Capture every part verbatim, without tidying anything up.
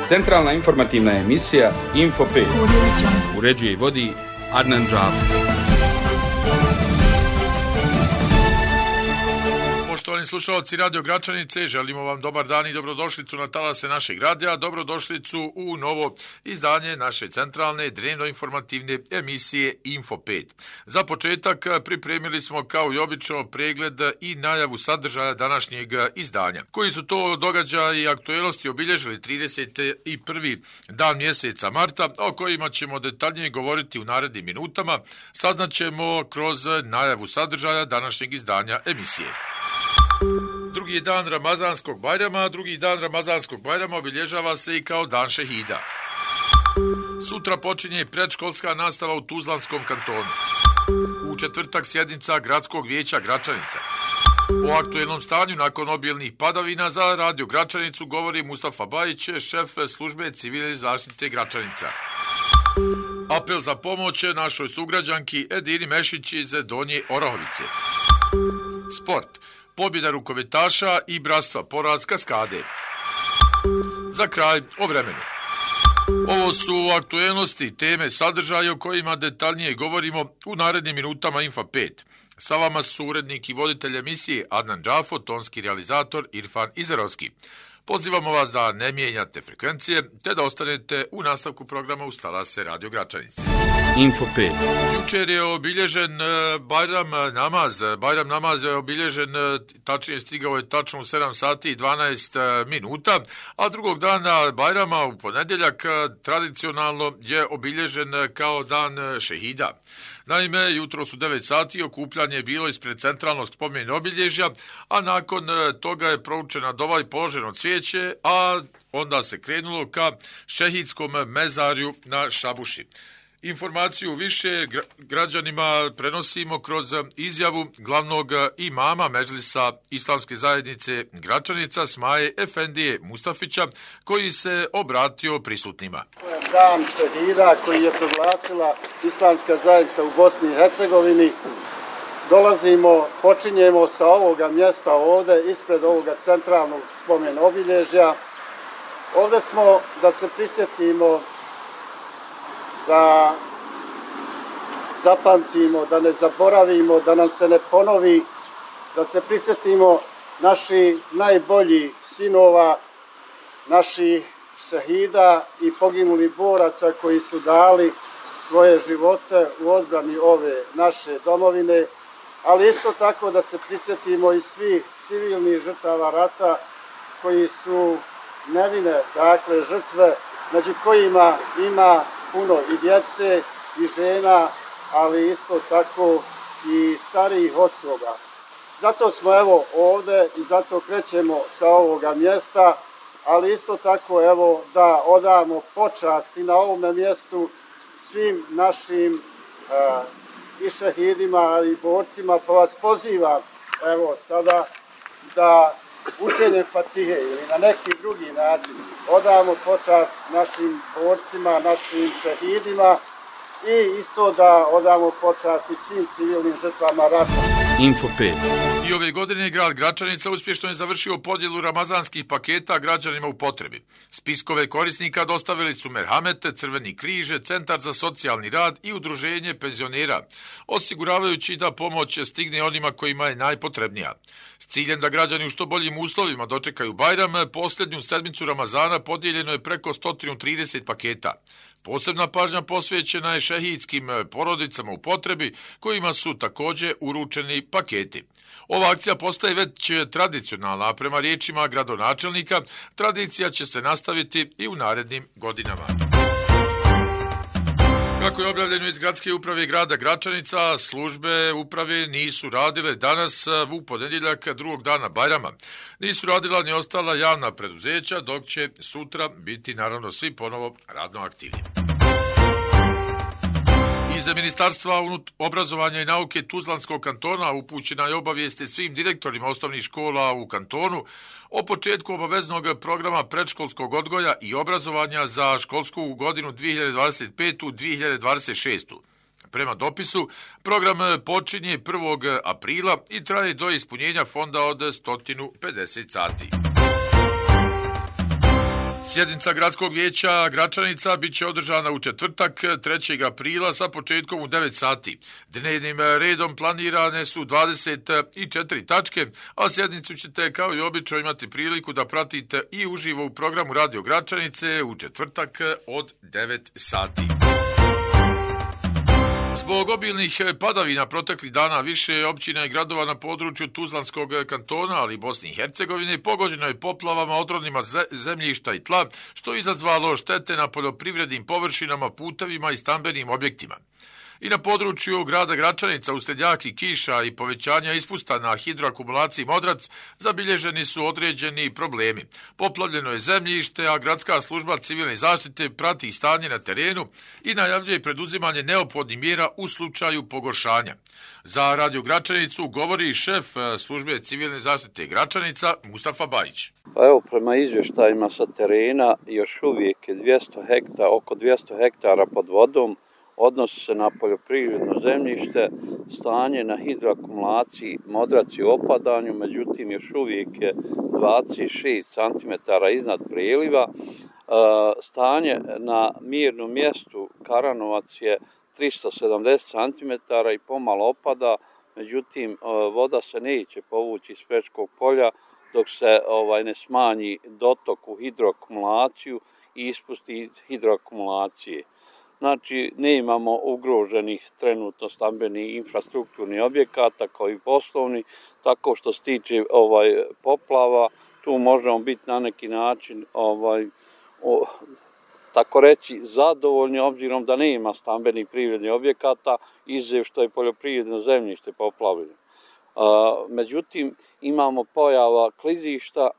Centralna informativna emisija Info pet. Uređuje i vodi Adnan Džafer. Poštovani slušalci Radio Gračanice, želimo vam dobar dan i dobrodošlicu na talase našeg radija, dobrodošlicu u novo izdanje naše centralne dnevno-informativne emisije Info pet. Za početak pripremili smo kao i obično pregled i najavu sadržaja današnjeg izdanja. Koji su to događaji i aktuelnosti obilježili trideset prvi dan mjeseca marta, o kojima ćemo detaljnije govoriti u narednim minutama, saznaćemo kroz najavu sadržaja današnjeg izdanja emisije. Drugi dan Ramazanskog Bajrama, drugi dan Ramazanskog Bajrama obilježava se i kao dan šehida. Sutra počinje predškolska nastava u Tuzlanskom kantonu. U četvrtak sjednica Gradskog vijeća Gračanica. O aktuelnom stanju nakon obilnih padavina za Radio Gračanicu govori Mustafa Bajić, šef službe civilne zaštite Gračanica. Apel za pomoć našoj sugrađanki Edini Mešić iz Donje Orahovice. Sport. Pobjeda rukometaša i bratstva poraz Kaskade. Za kraj o vremenu. Ovo su aktuelnosti, teme, sadržaje o kojima detaljnije govorimo u narednim minutama Info pet. Sa vama su urednik i voditelj emisije Adnan Džafo, tonski realizator Irfan Izerovski. Pozivamo vas da ne mijenjate frekvencije, te da ostanete u nastavku programa uz talase Radio Gračanice. Info pet. Jučer je obilježen Bajram namaz. Bajram namaz je obilježen, tačnije stigao je tačno u sedam sati i dvanaest minuta, a drugog dana Bajrama u ponedjeljak tradicionalno je obilježen kao dan šehida. Naime, jutro su devet sati, okupljanje je bilo ispred centralnog spomen obilježja, a nakon toga je proučena dova i položeno cvijeće, a onda se krenulo ka šehidskom mezarju na Šabuši. Informaciju više građanima prenosimo kroz izjavu glavnog imama Medžlisa Islamske zajednice Gračanica Smaje Efendije Mustafića, koji se obratio prisutnima. Dan šehida koji je proglasila Islamska zajednica u Bosni i Hercegovini. Dolazimo, počinjemo sa ovoga mjesta ovdje, ispred ovoga centralnog spomen obilježja. Ovdje smo da se prisjetimo, da zapamtimo, da ne zaboravimo, da nam se ne ponovi, da se prisjetimo naših najboljih sinova, naših šehida i poginulih boraca koji su dali svoje živote u odbrani ove naše domovine, ali isto tako da se prisjetimo i svih civilnih žrtava rata koji su nevine, dakle žrtve, među kojima ima puno i djece i žena, ali isto tako i starijih osoba. Zato smo evo ovdje i zato krećemo sa ovoga mjesta, ali isto tako evo da odamo počast i na ovome mjestu svim našim uh, i šehidima i borcima, pa vas pozivam evo sada da učenjem Fatihe ili na neki drugi način odamo počast našim borcima, našim šehidima i isto da odamo počast i svim civilnim žrtvama rata. Info pet. I ove godine grad Gračanica uspješno je završio podjelu ramazanskih paketa građanima u potrebi. Spiskove korisnika dostavili su Merhamete, Crveni križ, Centar za socijalni rad i Udruženje penzionera, osiguravajući da pomoć stigne onima kojima je najpotrebnija. S ciljem da građani u što boljim uslovima dočekaju Bajram, posljednju sedmicu Ramazana podijeljeno je preko sto trideset paketa. Posebna pažnja posvećena je šehidskim porodicama u potrebi, kojima su također uručeni paketi. Ova akcija postaje već tradicionalna, a prema riječima gradonačelnika, tradicija će se nastaviti i u narednim godinama. Kako je objavljeno iz Gradske uprave grada Gračanica, službe uprave nisu radile danas u ponedjeljak drugog dana Bajrama. Nisu radila ni ostala javna preduzeća, dok će sutra biti naravno svi ponovo radno aktivni. Iz Ministarstva obrazovanja i nauke Tuzlanskog kantona upućena je obavijesti svim direktorima osnovnih škola u kantonu o početku obaveznog programa predškolskog odgoja i obrazovanja za školsku godinu dvije hiljade dvadeset pete - dvije hiljade dvadeset šeste. Prema dopisu, program počinje prvog aprila i traje do ispunjenja fonda od sto pedeset sati. Sjednica gradskog vijeća Gračanica bit će održana u četvrtak trećeg aprila sa početkom u devet sati. Dnevnim redom planirane su dvadeset četiri tačke, a sjednicu ćete kao i obično imati priliku da pratite i uživo u programu Radio Gračanice u četvrtak od devet sati. Zbog obilnih padavina proteklih dana više općina i gradova na području Tuzlanskog kantona, ali i Bosne i Hercegovine, pogođeno je poplavama, odrodnima zemljišta i tla, što je izazvalo štete na poljoprivrednim površinama, putevima i stambenim objektima. I na području grada Gračanica uslijed jakih kiša i povećanja ispusta na hidroakumulaciji Modrac zabilježeni su određeni problemi. Poplavljeno je zemljište, a gradska služba civilne zaštite prati stanje na terenu i najavljuje preduzimanje neophodnih mjera u slučaju pogoršanja. Za Radio Gračanicu govori šef službe civilne zaštite Gračanica Mustafa Bajić. Pa evo, prema izvještajima sa terena još uvijek je dvjesto hektara, oko dvjesto hektara pod vodom. Odnosi se na poljoprivredno zemljište, stanje na hidroakumulaciji Modrac je u opadanju, međutim još uvijek je dvadeset šest centimetara iznad preliva. Stanje na mirnom mjestu Karanovac je tristo sedamdeset centimetara i pomalo opada, međutim voda se neće povući iz Pečkog polja dok se ovaj, ne smanji dotok u hidroakumulaciju i ispusti iz hidroakumulacije. Znači, ne imamo ugroženih trenutno stambenih infrastrukturnih objekata kao i poslovni, tako što se tiče ovaj, poplava, tu možemo biti na neki način, ovaj, o, tako reći, zadovoljni obzirom da ne ima stambenih privrednih objekata, izuzev što je poljoprivredno zemljište poplavljeno. Međutim, imamo pojava klizišta,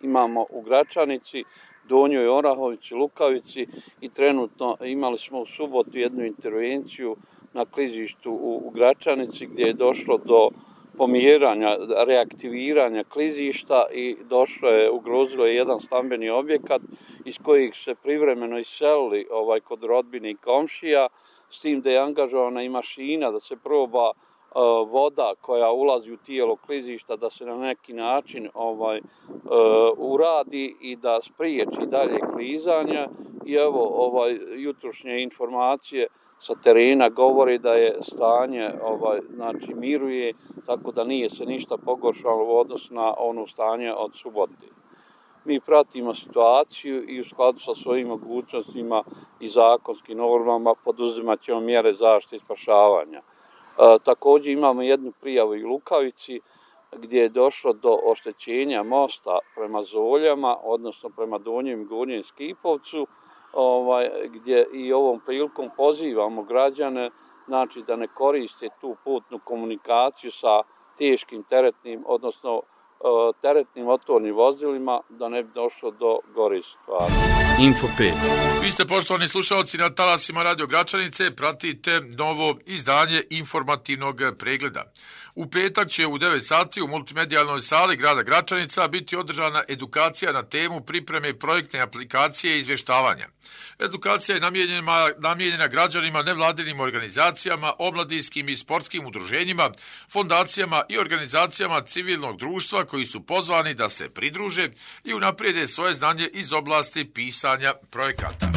imamo u Gračanici, Donjoj Orahovici, Lukavici i trenutno imali smo u subotu jednu intervenciju na klizištu u, u Gračanici gdje je došlo do pomjeranja, reaktiviranja klizišta i došlo je, ugrozilo je jedan stambeni objekat iz kojih se privremeno iselili ovaj, kod rodbine i komšija, s tim da je angažovana i mašina da se proba voda koja ulazi u tijelo klizišta da se na neki način ovaj, uh, uradi i da spriječi dalje klizanja. I evo, ovaj, jutrošnje informacije sa terena govori da je stanje, ovaj, znači miruje, tako da nije se ništa pogoršalo u odnosu na ono stanje od subote. Mi pratimo situaciju i u skladu sa svojim mogućnostima i zakonskim normama poduzimat ćemo mjere zaštite i spašavanja. E, također imamo jednu prijavu i u Lukavici gdje je došlo do oštećenja mosta prema Zoljama, odnosno prema Donjem i Gornjem Skipovcu, ovaj, gdje i ovom prilikom pozivamo građane, znači da ne koriste tu putnu komunikaciju sa teškim teretnim, odnosno teretnim motornim vozilima, da ne bi došlo do gore stvari. Info pet. Vi ste, poštovani slušalci, na talasima Radio Gračanice, pratite novo izdanje informativnog pregleda. U petak će u devet sati u multimedijalnoj sali grada Gračanica biti održana edukacija na temu pripreme projektne aplikacije i izvještavanja. Edukacija je namijenjena, namijenjena građanima, nevladinim organizacijama, omladinskim i sportskim udruženjima, fondacijama i organizacijama civilnog društva koji su pozvani da se pridruže i unaprijede svoje znanje iz oblasti pisanja projekata.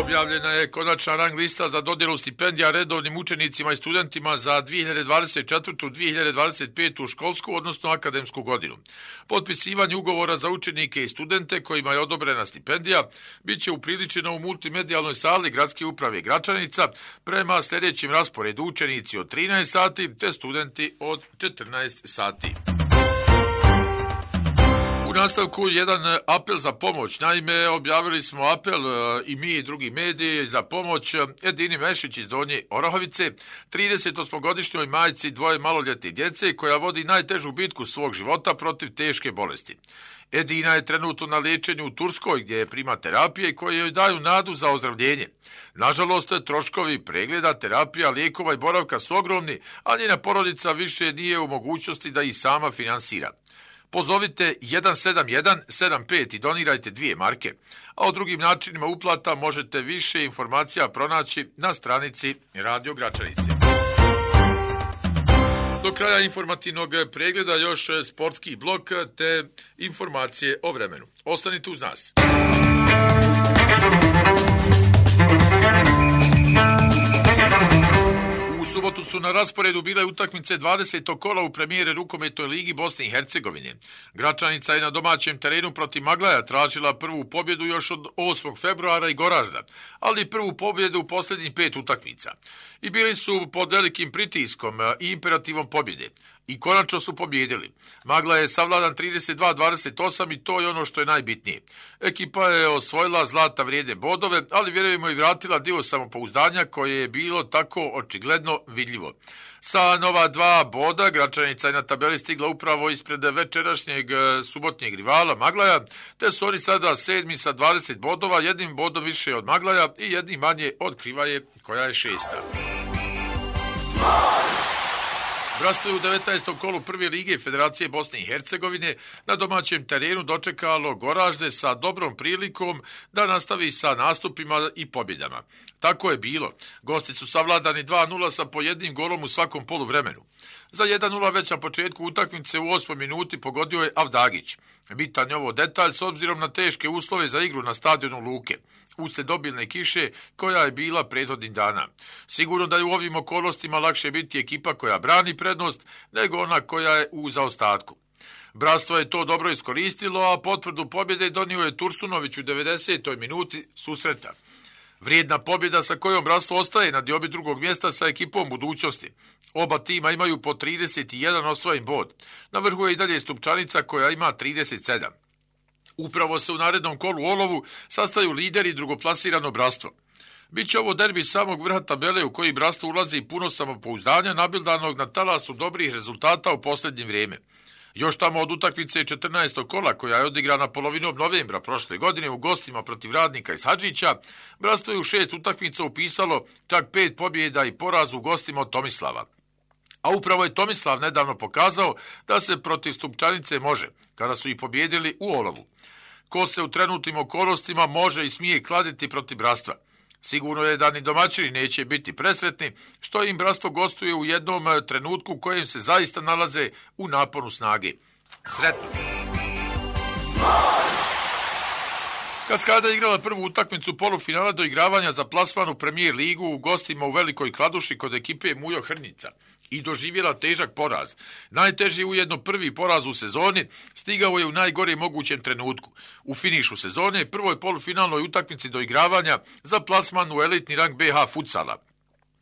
Objavljena je konačna rang lista za dodjelu stipendija redovnim učenicima i studentima za dvije hiljade dvadeset četvrtu dvije hiljade dvadeset petu školsku, odnosno akademsku godinu. Potpisivanje ugovora za učenike i studente kojima je odobrena stipendija bit će upriličeno u multimedijalnoj sali Gradske uprave Gračanica prema sljedećim rasporedu: učenici od trinaest sati te studenti od četrnaest sati. U nastavku jedan apel za pomoć. Naime, objavili smo apel i mi i drugi mediji za pomoć Edini Mešić iz Donje Orahovice, tridesetosmogodišnjoj majci dvoje maloljetne djece koja vodi najtežu bitku svog života protiv teške bolesti. Edina je trenutno na liječenju u Turskoj gdje je prima terapije koje joj daju nadu za ozdravljenje. Nažalost, troškovi pregleda, terapija, lijekova i boravka su ogromni, a njena porodica više nije u mogućnosti da ih sama finansira. Pozovite jedan sedam jedan sedam pet i donirajte dvije marke, a o drugim načinima uplata možete više informacija pronaći na stranici Radio Gračanice. Do kraja informativnog pregleda još sportski blok te informacije o vremenu. Ostanite uz nas. U subotu su na rasporedu bile utakmice dvadesetog kola u premijere rukometnoj ligi Bosne i Hercegovine. Gračanica je na domaćem terenu protiv Maglaja tražila prvu pobjedu još od osmog februara i Goražda, ali prvu pobjedu u posljednjih pet utakmica. I bili su pod velikim pritiskom i imperativom pobjede. I konačno su pobjedili. Magla je savladan trideset dva dvadeset osam i to je ono što je najbitnije. Ekipa je osvojila zlata vrijedne bodove, ali vjerujemo i vratila dio samopouzdanja koje je bilo tako očigledno vidljivo. Sa nova dva boda Gračanica je na tabeli stigla upravo ispred večerašnjeg subotnjeg rivala Maglaja, te su oni sada sedmi sa dvadeset bodova, jednim bodom više od Maglaja i jednim manje od Krivaje koja je šesta. Bratstvo je u devetnaestom kolu prve lige Federacije Bosne i Hercegovine na domaćem terenu dočekalo Goražde sa dobrom prilikom da nastavi sa nastupima i pobjedama. Tako je bilo. Gosti su savladani dva nula sa po jednim golom u svakom poluvremenu. Za jedan nula već na početku utakmice u osmoj minuti pogodio je Avdagić. Bitan je ovo detalj s obzirom na teške uslove za igru na stadionu Luke, uslijed obilne kiše koja je bila prethodnih dana. Sigurno da je u ovim okolnostima lakše biti ekipa koja brani prednost nego ona koja je u zaostatku. Bratstvo je to dobro iskoristilo, a potvrdu pobjede donio je Tursunović u devedesetoj minuti susreta. Vrijedna pobjeda sa kojom Bratstvo ostaje na diobi drugog mjesta sa ekipom budućnosti. Oba tima imaju po trideset jedan osvojen bod. Na vrhu je i dalje Stupčanica koja ima trideset sedam. Upravo se u narednom kolu u olovu sastaju lideri i drugoplasirano Bratstvo. Biće ovo derbi samog vrha tabele u koji Bratstvo ulazi puno samopouzdanja nabildanog na talasu dobrih rezultata u posljednje vrijeme. Još tamo od utakmice četrnaestog kola koja je odigrana polovinom novembra prošle godine u gostima protiv Radnika iz Hadžića, Bratstvo je u šest utakmica upisalo čak pet pobjeda i poraz u gostima od Tomislava. A upravo je Tomislav nedavno pokazao da se protiv Stupčanice može, kada su ih pobjedili u olovu. Ko se u trenutnim okolnostima može i smije kladiti protiv Bratstva? Sigurno je da ni domaćini neće biti presretni, što im Bratstvo gostuje u jednom trenutku u kojem se zaista nalaze u naponu snage. Sretno! Kaskada je igrala prvu utakmicu polufinala do igravanja za plasman u Premijer ligu u gostima u Velikoj Kladuši kod ekipe Mujo Hrnica i doživjela težak poraz. Najteži ujedno prvi poraz u sezoni stigao je u najgore mogućem trenutku. U finišu sezone prvoj polufinalnoj utakmici do igravanja za plasman u elitni rang be ha futsala.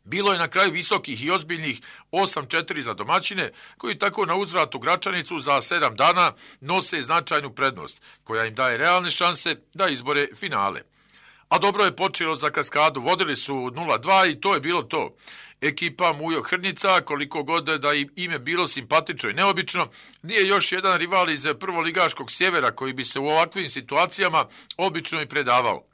Bilo je na kraju visokih i ozbiljnih osam četiri za domaćine, koji tako na uzvratu Gračanicu za sedam dana nose značajnu prednost, koja im daje realne šanse da izbore finale. A dobro je počelo za Kaskadu, vodili su nula dva i to je bilo to. Ekipa Mujo Hrnica, koliko god da im ime bilo simpatično i neobično, nije još jedan rival iz prvoligaškog sjevera koji bi se u ovakvim situacijama obično i predavao.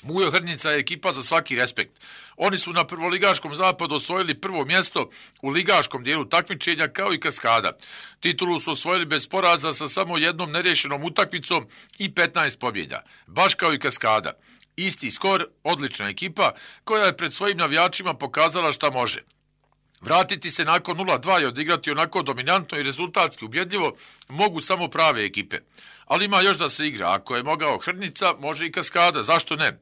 Mujo Hrnica je ekipa za svaki respekt. Oni su na prvoligaškom zapadu osvojili prvo mjesto u ligaškom dijelu takmičenja kao i Kaskada. Titulu su osvojili bez poraza sa samo jednom nerješenom utakmicom i petnaest pobjeda, baš kao i Kaskada. Isti skor, odlična ekipa koja je pred svojim navijačima pokazala šta može. Vratiti se nakon nula dva i odigrati onako dominantno i rezultatski ubjedljivo mogu samo prave ekipe. Ali ima još da se igra. Ako je mogao Hrnica, može i Kaskada. Zašto ne?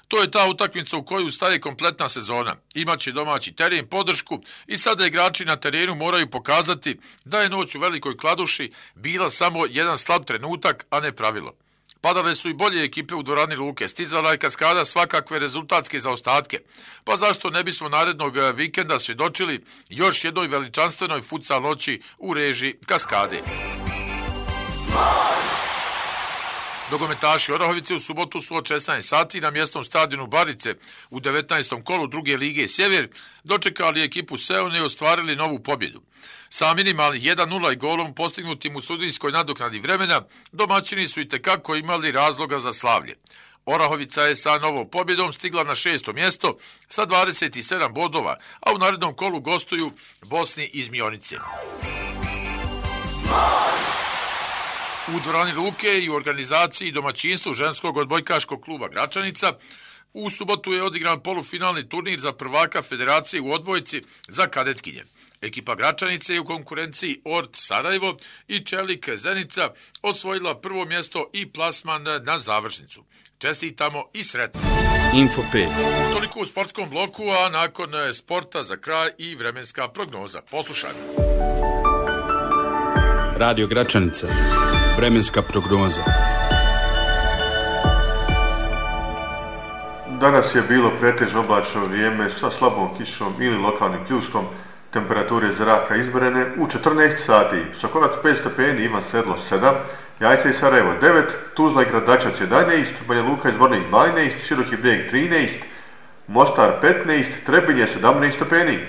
To je ta utakmica u koju staje kompletna sezona. Imaće domaći teren, podršku i sada igrači na terenu moraju pokazati da je noć u Velikoj Kladuši bila samo jedan slab trenutak, a ne pravilo. Padale su i bolje ekipe u dvorani Luke, stizala je Kaskada svakakve rezultatske zaostatke. Pa zašto ne bismo narednog vikenda svjedočili još jednoj veličanstvenoj futsal noći u režiji Kaskade? Nogometaši Orahovice u subotu su od šesnaest sati na mjesnom stadionu Barice u devetnaestom kolu druge lige Sjever dočekali ekipu Seone i ostvarili novu pobjedu. Sa minimalnih jedan nula i golom postignutim u sudijskoj nadoknadi vremena, domaćini su itekako imali razloga za slavlje. Orahovica je sa novom pobjedom stigla na šesto mjesto sa dvadeset sedam bodova, a u narednom kolu gostuju Bosni iz Mionice. U dvorani Luke i u organizaciji domaćinstvu ženskog odbojkaškog kluba Gračanica u subotu je odigran polufinalni turnir za prvaka federacije u odbojci za kadetkinje. Ekipa Gračanice je u konkurenciji Ort Sarajevo i Čelik Zenica osvojila prvo mjesto i plasman na završnicu. Čestitamo i sretno. Info pet. Toliko u sportskom bloku, a nakon sporta za kraj i vremenska prognoza. Poslušajmo. Radio Gračanica. Vremenska prognoza. Danas je bilo pretežno oblačno vrijeme sa slabom kišom ili lokalnim pljuskom. Temperature zraka izmjerene u četrnaest sati. Sokonac pet stepeni, Ivan Sedlo sedam, Jajce i Sarajevo devet, Tuzla i Gradačac jedanaest, Banja Luka i Zvornik dvanaest, Široki Brijeg trinaest, Mostar petnaest, Trebinje sedamnaest stepeni.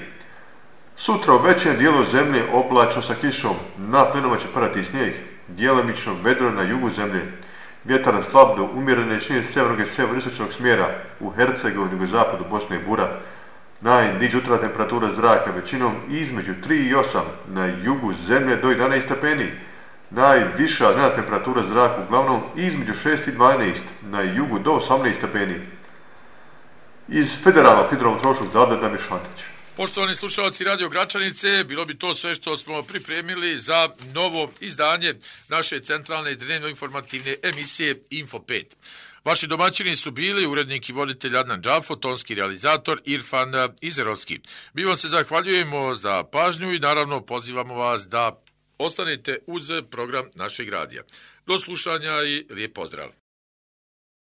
Sutra u većem dijelu zemlje oblačno sa kišom, na plinama će padati snijeg, djelomično vedro na jugu zemlje. Vjetar slab do umjerene širine sjevernog i sjeveroistočnog smjera, u Hercegovini, jugozapadu Bosne i Bura. Najniža jutarnja temperatura zraka većinom između tri i osam, na jugu zemlje do jedanaest stepeni. Najviša dnevna temperatura zraka uglavnom između šest i dvanaest, na jugu do osamnaest stepeni. Iz Federalnog hidrometeorološkog zavoda Damir Šantić. Poštovani slušalci Radio Gračanice, bilo bi to sve što smo pripremili za novo izdanje naše centralne dnevno informativne emisije Info pet. Vaši domaćini su bili urednik i voditelj Adnan Džafo, tonski realizator Irfan Izerovski. Mi vam se zahvaljujemo za pažnju i naravno pozivamo vas da ostanete uz program našeg radija. Do slušanja i lijep pozdrav.